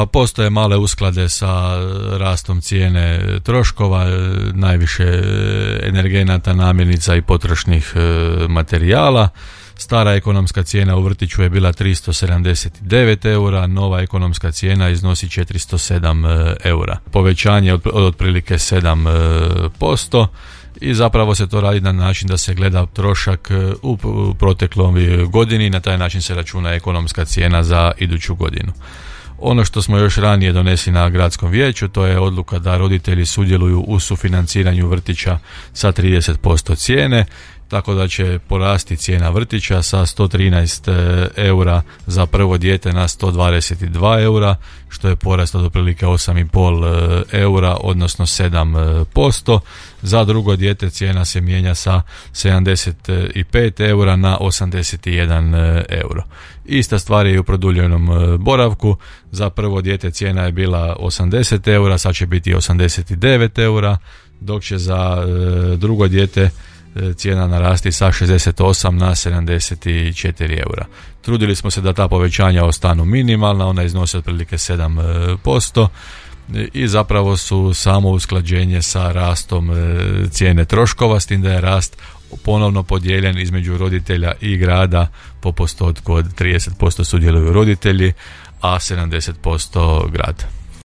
Pa postoje male usklade sa rastom cijene troškova, najviše energenata, namirnica i potrošnih materijala. Stara ekonomska cijena u vrtiću je bila 379 eura, nova ekonomska cijena iznosi 407 eura. Povećanje od otprilike 7%. I zapravo se to radi na način da se gleda trošak u protekloj godini i na taj način se računa ekonomska cijena za iduću godinu. Ono što smo još ranije donesli na gradskom vijeću, to je odluka da roditelji sudjeluju u sufinanciranju vrtića sa 30% cijene, tako da će porasti cijena vrtića sa 113 eura za prvo dijete na 122 eura, što je porast od otprilike 8,5 eura, odnosno 7%. Za drugo dijete cijena se mijenja sa 75 eura na 81 euro. Ista stvar je i u produljenom boravku. Za prvo dijete cijena je bila 80 eura, sad će biti 89 eura, dok će za drugo dijete cijena narasti sa 68 na 74 eura. Trudili smo se da ta povećanja ostanu minimalna, ona iznose otprilike 7% i zapravo su samo usklađenje sa rastom cijene troškova, s tim da je rast ponovno podijeljen između roditelja i grada po postotku od 30% sudjeluju roditelji, a 70% grad.